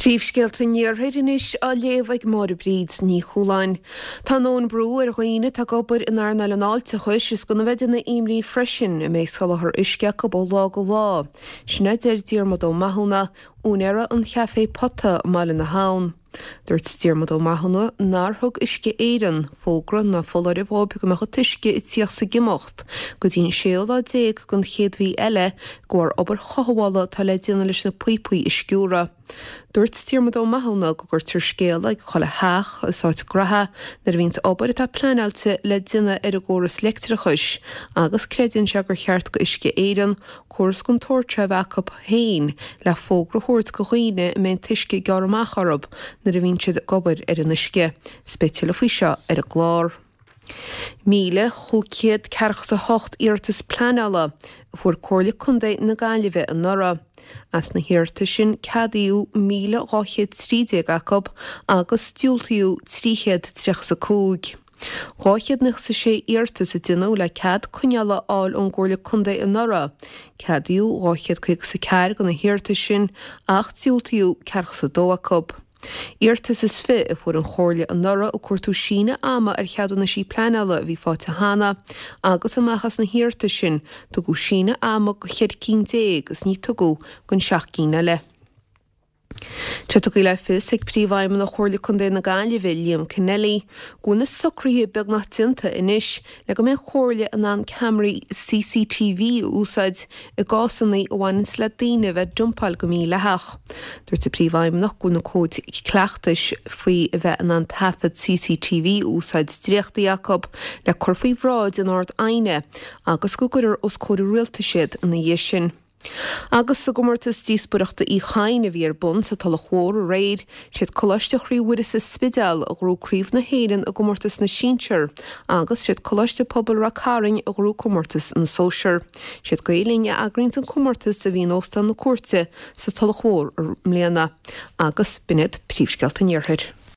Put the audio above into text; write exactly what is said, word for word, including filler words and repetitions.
Príomhscéalta an Iarthair anois á léamh ag Máire Bríd Ní Chualáin. Tá a ndóthain brú ar dhaoine atá ag obair in earnáil an fháilteachais is gan a bheith ina imní freisin an mbeidh soláthar uisce acu ó lá go lá. Sin a deir Diarmuid Ó Mathúna, úinéara an Chaifé Pota i mBaile na hAbhann. Dúirt Diarmuid Ó Mathúna nár thug Uisce Éireann fógra ná foláireamh dhóibh go mbeadh an t-uisce ag tíocht 's ag imeacht go dtí an séú lá déag den chéad mhí eile de bharr obair chothabhála atá le déanamh leis na píopaí a sciúradh. Dúirt Diarmuid Ó Mathúna go gcuirtear scéala ag chuile theach is áit gnaithe nuair a bhíonns obair atá pleanáilte le déanamh ar an gcóras leictreachais agus creideann sé gur cheart go Uisce Éireann córas den tsórt seo a bheith acu féin le fógra a thabhairt go dhaoine a mbeidh an t-uisce ag gearradh amach orthu nuair a bhíonn siad ag obair ar an uisce. 'S beidh tuilleadh faoi seo ar an gclár. Míle chúig chéad ceathracha 's a hocht iarratas pleanála a fuair Comhairle Contae na Gaillimhe anuraidh. As na hiarratais sin ceadaíodh míle dhá chéad trí déag acu agus diúltaíodh trí chéad tríocha 's a cúig. Dhá chéad nócha 's a sé iarratas a déanadh le cead coinneála a fháil ón gComhairle Contae anuraidh. Ceadaíodh dhá chéad caoga 's a ceathair de na hiarratais sin ach diúltaíodh ceathracha 's a dó acu. Iarratas is fiche a fuair an Chomhairle anuraidh ag cuartú síneadh ama ar cheadúnaisí pleanála a bhí faighte cheana agus amach as na hiarratais sin tugadh síneadh ama go cheithre cinn déag is ní tugadh don seacht gcinn eile. Tá tugtha le fios ag Príomhfheidhmeannach Chomhairle Contae na Gaillimhe, Liam Kennelly, go bhfuil na socruithe beagnach déanta anois le go mbeidh an Chomhairle in ann ceamaraí CCTV a úsáid i gcásanna a bhaineanns le daoine a bheith ag dumpáil go mídhleathach. Dúirt an Príomhfheidhmeannach go bhfuil na cóid cleachtais faoi a bheith in ann taifead CCTV a úsáid dréachtaithe acu le cur faoi bhráid an Ard-Aighne agus go gcuirfear os comhair an Rialtais iad ina dhiaidh sin. Agus sa gcomórtas díospóireachta Uí Chadhain a bhí ar bun sa Tulach Mhór aréir, siad Coláiste Chroí Mhuire sa Spidéal a ghnóthaigh Craobh na hÉireann i gcomórtas na sinsear agus siad Coláiste Pobail Ráth Cairn a ghnóthaigh comórtas na sóisear. Siad Gael Linn a eagraíonns an comórtas a bhí in Óstán na Cúirte sa Tulach Mhór i mbliana. Agus b'in iad príomhscéalta an Iarthair.